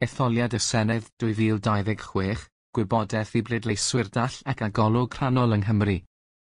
Etholiad y Senedd 2026, Gwybodaeth i bleidleiswyr dall ac â golwg rhannol yng Nghymru.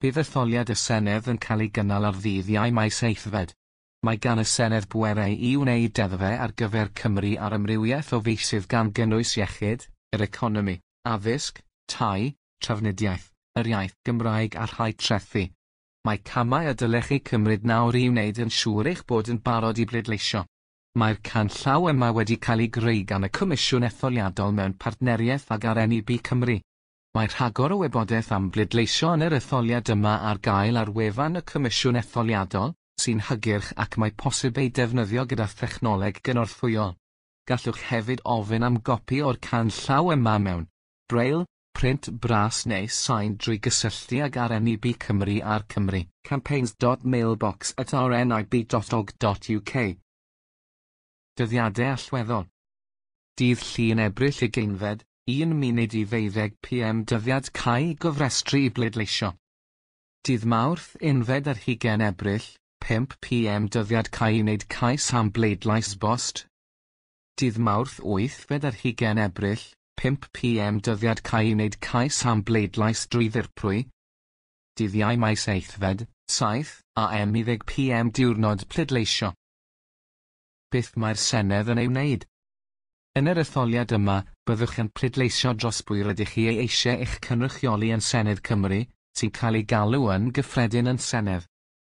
Bydd etholiad y Senedd yn cael ei gynnal ar ddydd Iau Mai seithfed. Mae gan y Senedd bwerau i wneud deddfau ar gyfer Cymru ar amrywiaeth o feysydd gan gynnwys iechyd, yr economi, addysg, tai, trafnidiaeth, yr iaith Gymraeg a rhai trethi. Mae camau y dylech eu cymryd nawr i wneud yn siŵr eich bod yn barod i bleidleisio. Mae'r canllaw yma wedi cael ei greu gan y Comisiwn Etholiadol mewn partneriaeth ag RNIB Cymru. Mae rhagor o wybodaeth am bleidleisio yn yr etholiad yma ar gael ar wefan y Comisiwn Etholiadol, sy'n hygyrch ac mae posib ei defnyddio gyda thechnoleg gynorthwyol. Gallwch hefyd ofyn am gopi o'r canllaw yma mewn Braille, print bras neu sain drwy gysylltu ag RNIB Cymru ar Cymru. campaigns.mailbox@rnib.org.uk. Dyddiadau allweddol. Dydd Llun Ebrill 20fed, 11:45 pm Dyddiad cau i gofrestru i bleidleisio. Dydd Mawrth 21 Ebrill, 5 pm Dyddiad cau i wneud cais am bleidlais bost. Dydd Mawrth 28 Ebrill, 5 pm Dyddiad cau i wneud cais am bleidlais drwy ddirprwy. Dydd Iau Mai 7fed, 7 am i 10 pm Diwrnod pleidleisio. Beth mae'r Senedd yn ei wneud? Yn yr etholiad yma, byddwch yn pleidleisio dros bwy rydych chi ei eisiau eich cynrychioli yn Senedd Cymru, sy'n cael ei galw yn gyffredin yn Senedd.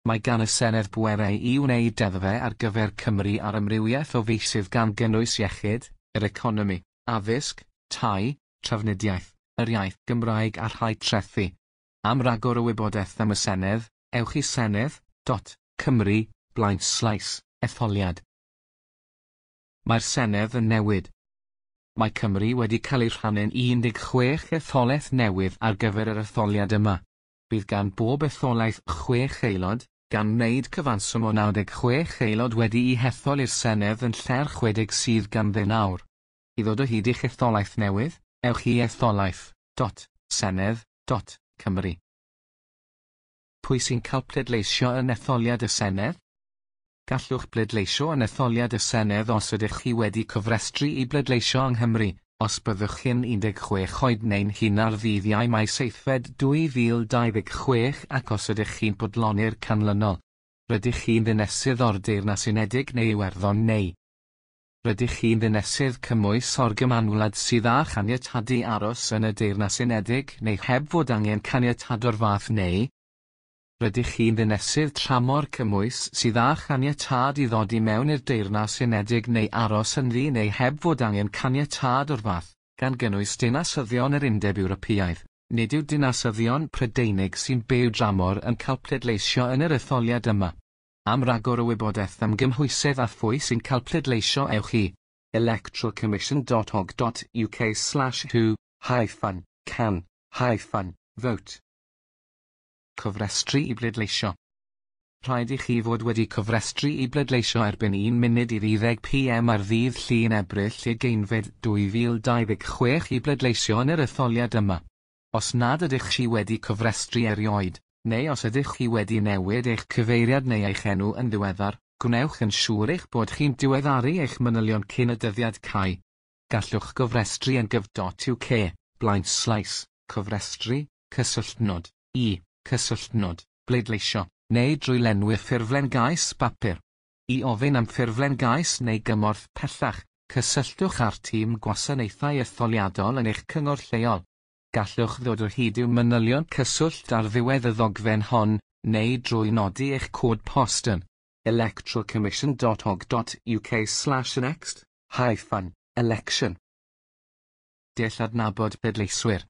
Mae gan y Senedd bwerau i wneud deddfau ar gyfer Cymru ar amrywiaeth o feysydd gan gynnwys iechyd, yr economi, addysg, tai, trafnidiaeth, yr iaith Gymraeg a rhai trethi. Am ragor o wybodaeth am y Senedd, ewch i senedd.cymru blaenslaes etholiad. Mae'r Senedd yn newid. Mae Cymru wedi cael ei rhannu'n 16 etholaeth newydd ar gyfer yr etholiad yma. Bydd gan bob etholaeth chwech aelod, gan wneud cyfanswm o 96 aelod wedi'u hethol i'r Senedd yn lle'r 60 sydd ganddyn nawr. I ddod o hyd i'ch etholaeth newydd, ewch i etholaeth.senedd.cymru. Pwy sy'n cael pleidleisio yn etholiad y Senedd? Gallwch bleidleisio yn etholiad y Senedd os ydych chi wedi cofrestru i bleidleisio yng Nghymru, os byddwch chi'n 16 oed neu'n hŷn ar ddydd Iau Mai 7fed 2026 ac os ydych chi'n bodloni'r canlynol. Rydych chi'n ddinesydd o'r Deyrnas Unedig neu Iwerddon neu. Rydych chi'n ddinesydd cymwys o'r Gymanwlad sydd â chaniatâd i aros yn y Deyrnas Unedig neu heb fod angen caniatâd o'r fath neu. Rydych chi'n ddinesydd tramor cymwys sydd â chaniatâd i ddod i mewn i'r Deyrnas Unedig neu aros ynddi neu heb fod angen caniatâd o'r fath, gan gynnwys dinasyddion yr Undeb Ewropeaidd. Nid yw dinasyddion Prydeinig sy'n byw dramor yn cael pleidleisio yn yr etholiad yma. Am ragor o wybodaeth am gymhwysedd a phwy sy'n cael pleidleisio ewch i electoralcommission.org.uk/who hyphen can hyphen vote. Cofrestru i bleidleisio. Rhaid i chi fod wedi cofrestru i bleidleisio erbyn 11:50 pm ar ddydd Llun Ebrill 20fed 2026 i bleidleisio yn yr etholiad yma. Os nad ydych chi wedi cofrestru erioed, neu os ydych chi wedi newid eich cyfeiriad neu eich enw yn ddiweddar, gwnewch yn siŵr eich bod chi'n diweddaru eich manylion cyn y dyddiad cau. Gallwch gofrestru yn gov.uk, blaenslaes, cofrestru, cysylltnod, i, cysylltnod, bleidleisio, neu drwy lenwi ffurflen gais bapur. I ofyn am ffurflen gais neu gymorth pellach, cysylltwch â'r tîm gwasanaethau etholiadol yn eich cyngor lleol. Gallwch ddod o hyd i'w manylion cyswllt ar ddiwedd y ddogfen hon, neu drwy nodi eich cod post yn electoralcommission.org.uk/next hyphen election. Dull adnabod pleidleiswyr.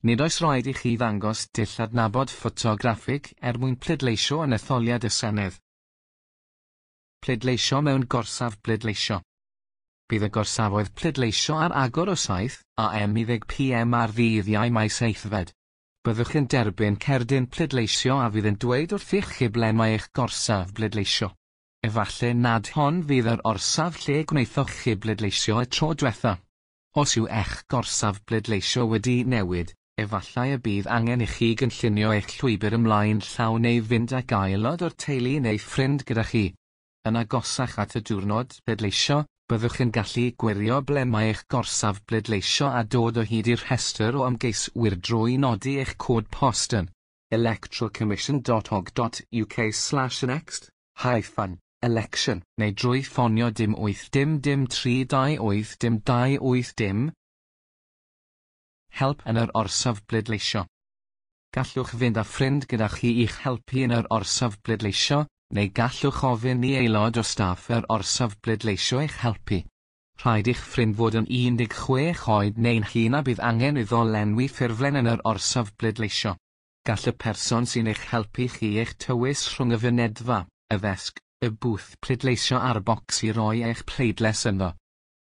Nid oes rhaid i chi ddangos dull adnabod ffotograffig er mwyn pleidleisio yn etholiad y Senedd. Pleidleisio mewn gorsaf bleidleisio. Bydd y gorsafoedd pleidleisio ar agor o 7 am i 10 pm ar ddydd Iau Mai 7fed. Byddwch yn derbyn cerdyn pleidleisio a fydd yn dweud wrthych chi ble mae eich gorsaf bleidleisio. Efallai nad hon fydd yr orsaf lle gwnaethoch chi bleidleisio y tro diwetha. Os yw eich gorsaf bleidleisio wedi newid, efallai y bydd angen i chi gynllunio eich llwybr ymlaen llaw neu fynd ag aelod o'r teulu neu ffrind gyda chi. Yn agosach at y diwrnod pleidleisio, Byddwch yn gallu gwirio ble mae eich gorsaf bleidleisio a dod o hyd i'r rhestr o ymgeiswyr drwy nodi eich cod post yn electoralcommission.org.uk/next-election neu drwy ffonio 0 8 0 0 3 2 8 0 2 8 0. Help yn yr orsaf bleidleisio. Gallwch fynd â ffrind gyda chi i'ch helpu yn yr orsaf bleidleisio, neu gallwch ofyn i aelod o staff yr orsaf bleidleisio eich helpu. Rhaid i'ch ffrind fod yn 16 oed neu'n hŷn a bydd angen iddo lenwi ffurflen yn yr orsaf bleidleisio. Gall y person sy'n eich helpu chi eich tywys rhwng y fynedfa, y ddesg, y bwth pleidleisio a'r bocs i roi eich pleidlais ynddo.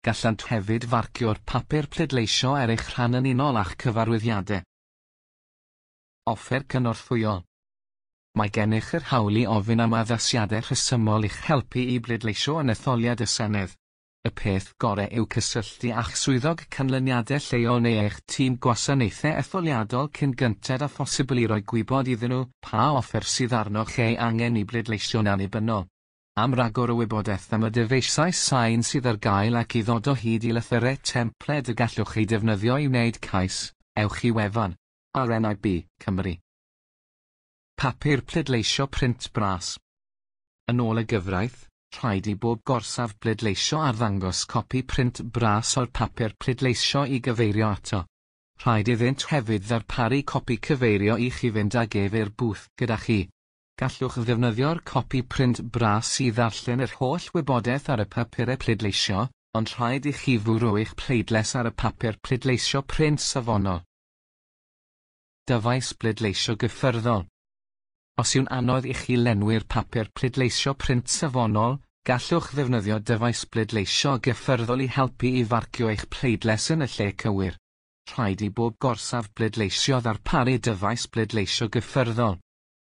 Gallant hefyd farcio'r papur pleidleisio ar eich rhan yn unol â'ch cyfarwyddiadau. Offer cynorthwyol. Mae gennych yr hawl i ofyn am addasiadau rhesymol i'ch helpu i bleidleisio yn etholiad y Senedd. Y peth gorau yw cysylltu â'ch swyddog canlyniadau lleol neu eich tîm gwasanaethau etholiadol cyn gynted â phosibl i roi gwybod iddyn nhw pa offer sydd arnoch ei angen i bleidleisio'n annibynnol. Am ragor o wybodaeth am y dyfeisiau sain sydd ar gael ac i ddod o hyd i lythyrau templed y gallwch eu defnyddio i wneud cais, ewch i wefan RNIB Cymru. Papur pleidleisio print bras. Yn ôl y gyfraith, rhaid i bob gorsaf bleidleisio arddangos copi print bras o'r papur pleidleisio i gyfeirio ato. Rhaid iddynt hefyd ddarparu copi cyfeirio i chi fynd ag ef i'r bwth gyda chi. Gallwch ddefnyddio'r copi print bras i ddarllen yr holl wybodaeth ar y papurau pleidleisio, ond rhaid i chi fwrw eich pleidlais ar y papur pleidleisio print safonol. Dyfais bleidleisio gyffyrddol. Os yw'n anodd i chi lenwi'r papur pleidleisio print safonol, gallwch ddefnyddio dyfais bleidleisio gyffyrddol i helpu i farcio eich pleidlais yn y lle cywir. Rhaid i bob gorsaf bleidleisio ddarparu dyfais bleidleisio gyffyrddol.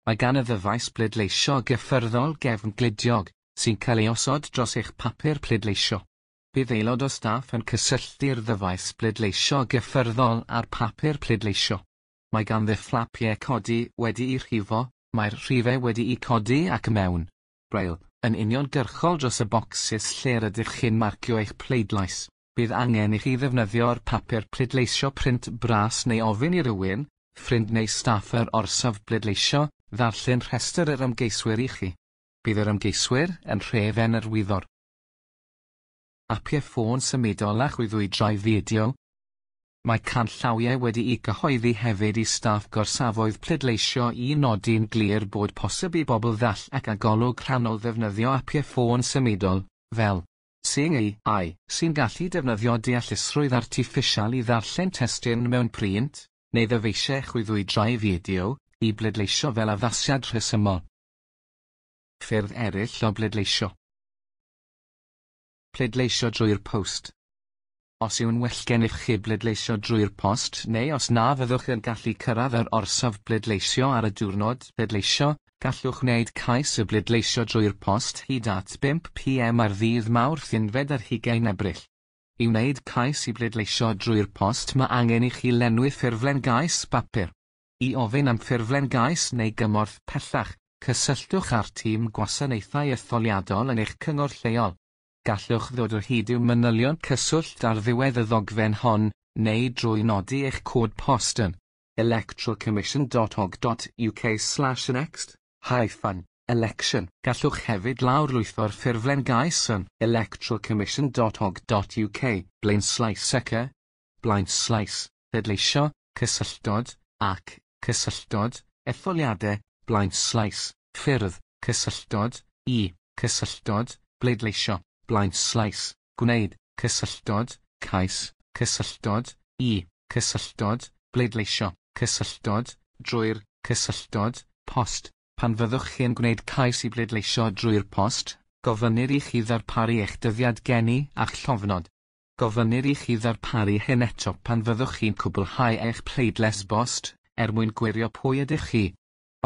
Mae gan y ddyfais bleidleisio gyffyrddol gefn gludiog, sy'n cael ei osod dros eich papur pleidleisio. Bydd aelod o staff yn cysylltu'r ddyfais bleidleisio gyffyrddol â'r papur pleidleisio. Mae ganddi fflapiau codi wedi'u rhifo, mae'r rhifau wedi'u codi ac mewn braille, yn uniongyrchol dros y bocsys lle rydych chi'n marcio eich pleidlais. Bydd angen i chi ddefnyddio'r papur pleidleisio print bras neu ofyn i rywun, ffrind neu staff yr orsaf bleidleisio, ddarllen rhestr yr ymgeiswyr i chi. Bydd yr ymgeiswyr yn rhef yn yr wyddor. Apiau ffôn symudol a chwyddwydrau fideo. Mae canllawiau wedi'u cyhoeddi hefyd i staff gorsafoedd pleidleisio i nodi'n glir bod posib i bobl ddall ac â golwg rhannol ddefnyddio apiau ffôn symudol, fel Seeing AI, sy'n gallu defnyddio deallusrwydd artiffisial i ddarllen testun mewn print, neu ddyfeisiau chwyddwydrau fideo, i bleidleisio fel addasiad rhesymol. Ffyrdd eraill o bleidleisio. Pleidleisio drwy'r post. Os yw'n well gennych chi bleidleisio drwy'r post neu os na fyddwch yn gallu cyrraedd yr orsaf bleidleisio ar y diwrnod pleidleisio, gallwch wneud cais i bleidleisio drwy'r post hyd at 5 p.m. ar ddydd Mawrth 21 Ebrill. I wneud cais i bleidleisio drwy'r post mae angen i chi lenwi ffurflen gais bapur. I ofyn am ffurflen gais neu gymorth pellach, cysylltwch â'r tîm gwasanaethau etholiadol yn eich cyngor lleol. Gallwch ddod o hyd i'w manylion cyswllt ar ddiwedd y ddogfen hon, neu drwy nodi eich cod post yn electoralcommission.org.uk/next-election. Gallwch hefyd lawrlwytho'r ffurflen gais yn electoralcommission.org.uk, blaenslaes ec, blaenslaes, pleidleisio, cysylltod, ac, cysylltod, etholiadau, blaenslaes, ffyrdd, cysylltod, i, cysylltod, bleidleisio, blaenslaes, gwneud, cysylltod, cais, cysylltod, i, cysylltod, bleidleisio, cysylltod, drwy'r, cysylltod, post. Pan fyddwch chi'n gwneud cais i bleidleisio drwy'r post, gofynnir i chi ddarparu eich dyddiad geni a'ch llofnod. Gofynnir i chi ddarparu hyn eto pan fyddwch chi'n cwblhau eich pleidlais bost, er mwyn gwirio pwy ydych chi.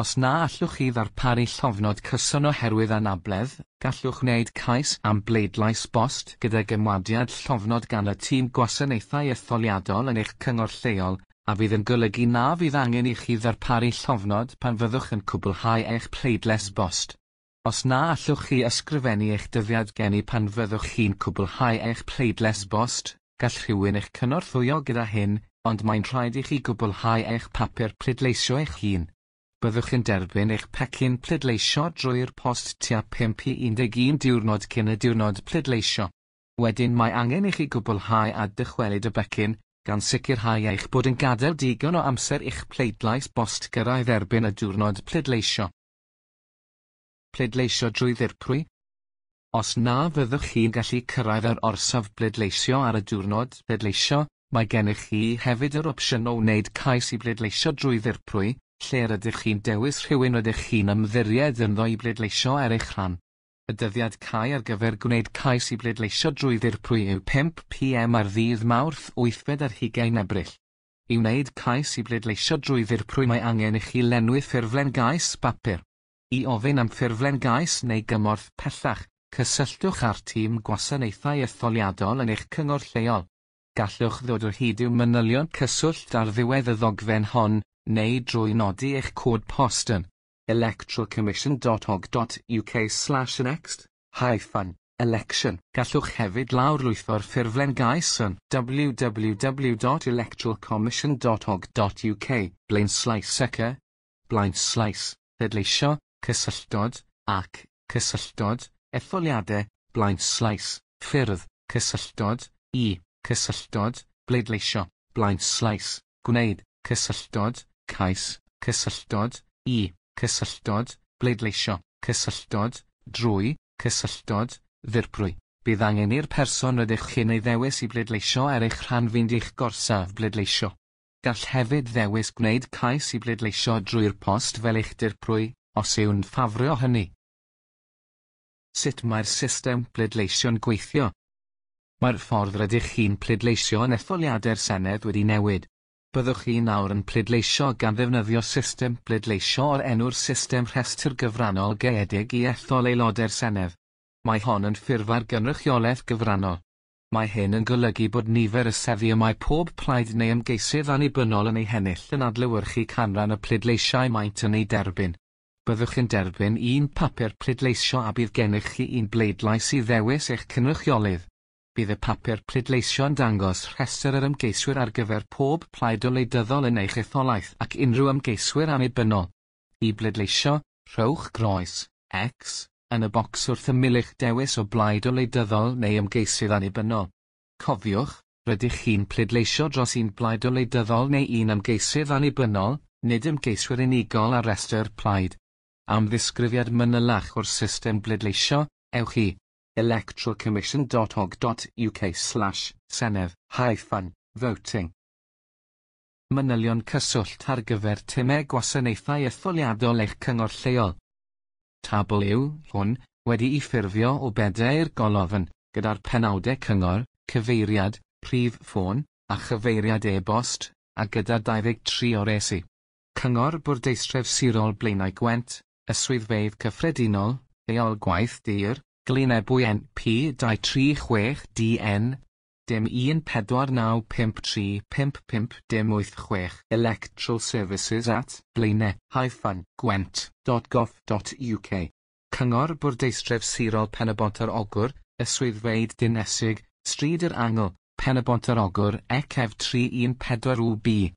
Os na allwch chi ddarparu llofnod cyson oherwydd anabledd, gallwch wneud cais am bleidlais bost gydag ymwadiad llofnod gan y tîm gwasanaethau etholiadol yn eich cyngor lleol, a fydd yn golygu na fydd angen i chi ddarparu llofnod pan fyddwch yn cwblhau eich pleidlais bost. Os na allwch chi ysgrifennu eich dyddiad geni pan fyddwch chi'n cwblhau eich pleidlais bost, gall rhywun eich cynorthwyo gyda hyn, ond mae'n rhaid i chi gwblhau eich papur pleidleisio eich hun. Byddwch yn derbyn eich pecyn pleidleisio drwy'r post tua 5 i 11 diwrnod cyn y diwrnod pleidleisio. Wedyn mae angen i chi gwblhau a dychwelyd y becyn, gan sicrhau eich bod yn gadael digon o amser i'ch pleidlais bost gyrraedd erbyn y diwrnod pleidleisio. Pleidleisio drwy ddirprwy. Os na fyddwch chi'n gallu cyrraedd yr orsaf bleidleisio ar y diwrnod pleidleisio, mae gennych chi hefyd yr opsiwn o wneud cais i bleidleisio drwy ddirprwy, lle rydych chi'n dewis rhywun rydych chi'n ymddiried ynddo i bleidleisio ar eich rhan. Y dyddiad cau ar gyfer gwneud cais i bleidleisio drwy ddirprwy yw 5 pm ar ddydd Mawrth 28 Ebrill. I wneud cais i bleidleisio drwy ddirprwy mae angen i chi lenwi ffurflen gais bapur. I ofyn am ffurflen gais neu gymorth pellach, cysylltwch â'r tîm gwasanaethau etholiadol yn eich cyngor lleol. Gallwch ddod o hyd i'w manylion cyswllt ar ddiwedd y ddogfen hon, neu drwy nodi eich cod post yn electoralcommission.org.uk/next-election. Gallwch hefyd lawrlwytho'r ffurflen gais yn www.electoralcommission.org.uk /ec /pleidleisio cysylltod, ac, cysylltod, etholiadau, /ffyrdd, cysylltod, i, cysylltod, bleidleisio, /gwneud, cysylltod, cais, cysylltod, i, cysylltod, bleidleisio, cysylltod, drwy, cysylltod, ddirprwy. Bydd angen i'r person rydych chi'n ei ddewis i bleidleisio ar eich rhan fynd i'ch gorsaf bleidleisio. Gall hefyd ddewis gwneud cais i bleidleisio drwy'r post fel eich dirprwy, os yw'n ffafrio hynny. Sut mae'r system pleidleisio'n gweithio? Mae'r ffordd rydych chi'n pleidleisio yn etholiadau'r Senedd wedi newid. Byddwch chi nawr yn pleidleisio gan ddefnyddio system bleidleisio o'r enw'r system rhestr gyfrannol gaeedig i ethol aelodau'r Senedd. Mae hon yn ffurf ar gynrychiolaeth gyfrannol. Mae hyn yn golygu bod nifer y seddi y mae pob plaid neu ymgeisydd annibynnol yn ei hennill yn adlewyrchu canran y pleidleisiau maent yn ei derbyn. Byddwch yn derbyn un papur pleidleisio a bydd gennych chi un bleidlais i ddewis eich cynrychiolydd. Bydd y papur pleidleisio'n dangos rhestr yr ymgeiswyr ar gyfer pob plaid wleidyddol yn eich etholaeth ac unrhyw ymgeiswyr annibynnol. I bleidleisio, rhowch groes, X, yn y bocs wrth ymyl eich dewis o blaid wleidyddol neu ymgeisydd annibynnol. Cofiwch, rydych chi'n pleidleisio dros un blaid wleidyddol neu un ymgeisydd annibynnol, nid ymgeiswyr unigol ar restr plaid. Am ddisgrifiad manylach o'r system bleidleisio, ewch i electoralcommission.org.uk/senedd-voting. Manylion cyswllt ar gyfer timau gwasanaethau etholiadol eich cyngor lleol. Tabl yw hwn, wedi'i ffurfio o bedair golofn, gyda'r penawdau cyngor, cyfeiriad, prif ffôn, a chyfeiriad e-bost, a gyda 23 o resi. Cyngor Bwrdeistref Sirol Blaenau Gwent, y Swyddfeydd Cyffredinol, Heol Gwaith Dur, Glynebwy NP 236 DN, dim 14953 55 dim 86 Electoral Services at blaenau-gwent.gov.uk. Cyngor Bwrdeistref Sirol Pen-y-bont ar Ogwr, y Swyddfeydd Dinesig, Stryd yr Angl, Pen-y-bont ar Ogwr ECF 314 UB.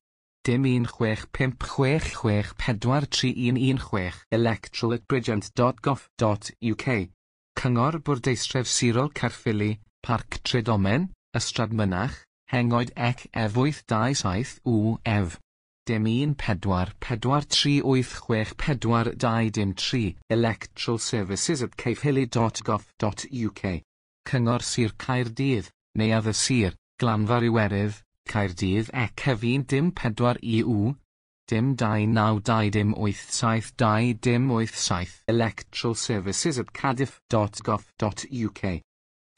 Dim 16566 43116 electoral@bridgend.gov.uk. Cyngor Bwrdeistref Sirol Caerffili, Parc Tredomen, Ystrad Mynach, Hengoed ECF 827 UF. Dim 1 4 4 3 8 6 4 2 dim 3 Electoral Services at caerphilly.gov.uk. Cyngor Sir Caerdydd, Neuadd y Sir, Glanfa'r Iwerydd, Caerdydd ECF 1 dim 4 EU, dim 2 9 2 dim 8 7 2 dim 8 7 Electoral Services at cardiff.gov.uk.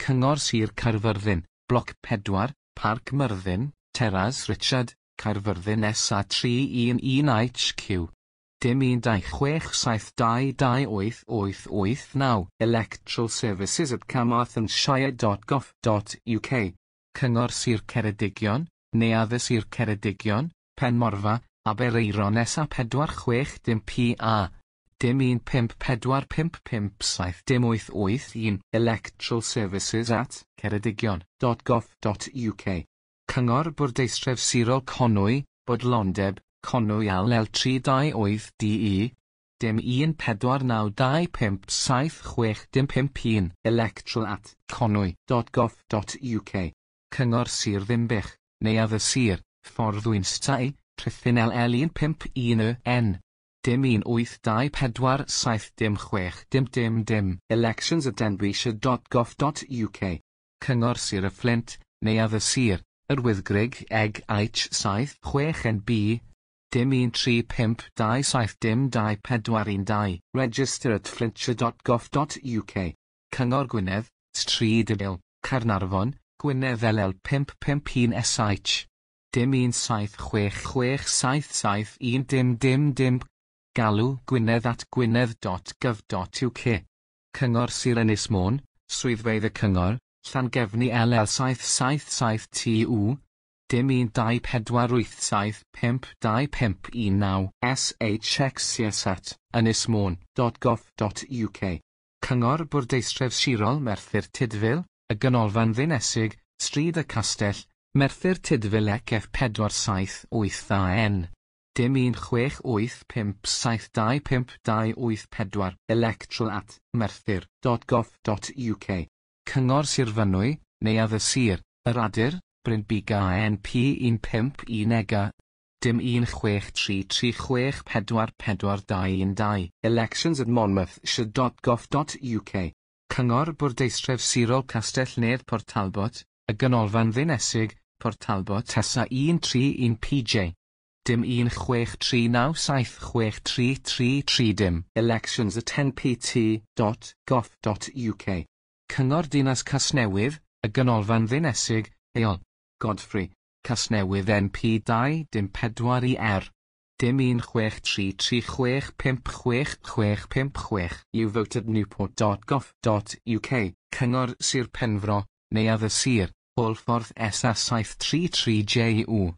Cyngor Sir Caerfyrddin, Bloc 4, Parc Myrddin, Teras Richard, Caerfyrddin SA 311 HQ. Dim 1 2 6 7 2 2 8 8 8 9 Electoral Services at carmarthenshire.gov.uk. Cyngor Sir Ceredigion, Neuadd y Sir Ceredigion, Penmorfa, Aberaeron SA 46 dim PA. Dim 1 5 4 5 5 7 dim 8 8 1 Electoral Services at ceredigion.gov.uk Cyngor Bwrdeistref Sirol Conwy, Bodlondeb, Conwy LL 328 DE Dim 1 4 9 2 5 7 6 dim 5 1 Electoral at conwy.gov.uk Cyngor Sir Ddinbych, Neuadd y Sir, Ffordd Wynstai, Rhuthun LL 151 Y N. Dim 1 8 2 4 7 dim 6 dim dim dim Elections at denbighshire.gov.uk Cyngor Sir y Fflint, Neuadd y Sir, Yr Wyddgrug Eg H 7 6 NB Dim 1 3 5 2 7 dim 2 4 1 2 Register at flintshire.gov.uk Cyngor Gwynedd, Stryd y Bil, Caernarfon, Gwynedd LL 551 SH Dim 1 7 6 6 7 7 1 dim dim dim Galw Gwynedd at gwynedd.gov.uk Cyngor Sir Ynys Môn, Swyddfeydd y Cyngor, Llangefni LL 777 TU Dim 1 2 4 8 7 5 2 5 1 9 SHXCS at ynysmôn.gov.uk Cyngor Bwrdeistref Sirol Merthyr Tudful, y Ganolfan Ddinesig, Stryd y Castell, Merthyr Tudful ECF 478 AN. Dim 1 6 8 5 7 2 5 2 8 4 Electoral at merthyr.gov.uk Cyngor Sir Fynwy, Neuadd y Sir, Yr Adur, Brynbuga NP 151 EGA Dim 1 6 3 3 6 4 4 2 1 2 Elections at monmouthshire.gov.uk Cyngor Bwrdeistref Sirol Castell Nedd Port Talbot, y Ganolfan Ddinesig, Port Talbot SA 131 PJ. Dim 1 6 3 9 7 6 3 3 3 dim Elections at npt.gov.uk Cyngor Dinas Casnewydd, y Ganolfan Ddinesig, Heol, Godfrey, Casnewydd NP 2 dim 4 i R. Dim 1 6 3 3 6 5 6 6 5 6 You vote at newport.gov.uk Cyngor Sir Penfro, Neuadd y Sir, Hwlffordd SA 733 JU.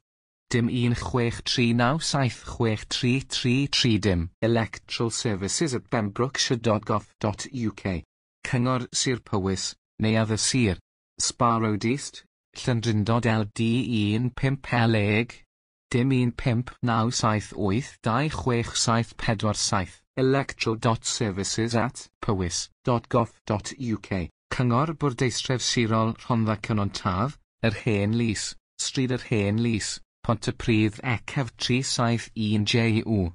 Dim 1 6 3 9 7 6 3 3 3 dim Electoral Services at pembrokeshire.gov.uk Cyngor Sir Powys, Neuadd y Sir, Spa Road East, Llandrindod LD 15 LEG. Dim 1 5 9 7 8 2 6 7 4 7 Electoral.services at powys.gov.uk Cyngor Bwrdeistref Sirol Rhondda Cynon Taf, Yr Hen Lys, Stryd Yr Hen Lys, Pontypridd ECF 371 JU.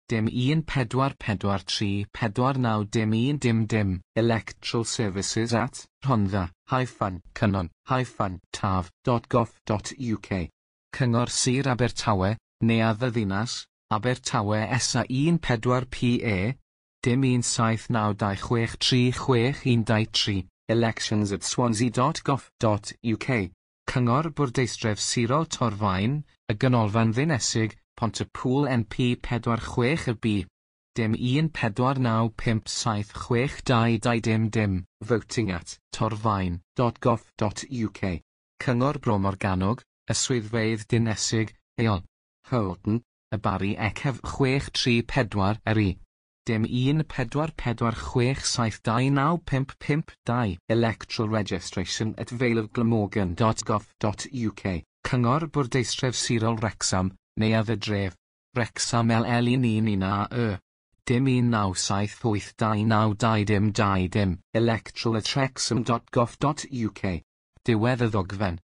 Dim 1 4 4 3 4 9 dim 1 dim dim Electoral Services at Rhondda hyphen Cynon hyphen taf.gov.uk Cyngor Sir Abertawe, Neuadd y Ddinas, Abertawe SA 14 PA Dim 1 7 9 2 6 3 6 1 2 3 Elections at swansea.gov.uk Cyngor Bwrdeistref Sirol Torfaen, y Ganolfan Ddinesig, Pontypool NP 46 y B. Dim 1 4 9 5 7 6 2 2 dim dim Voting at torfaen.gov.uk Cyngor Bro Morgannwg, y Swyddfeydd Dinesig, Heol, Holton, y Barri ECF 6 3 4 RI. Dim 1 4 4 6 7 2 9 5 5 2 Electoral Registration at valeofglamorgan.gov.uk Cyngor Bwrdeistref Sirol Wrexham, Neuadd y Dref, Wrexham LL 11 AE. Dim 1 9 7 8 2 9 2 dim 2 dim Electoral at wrexham.gov.uk Diwedd y ddogfen.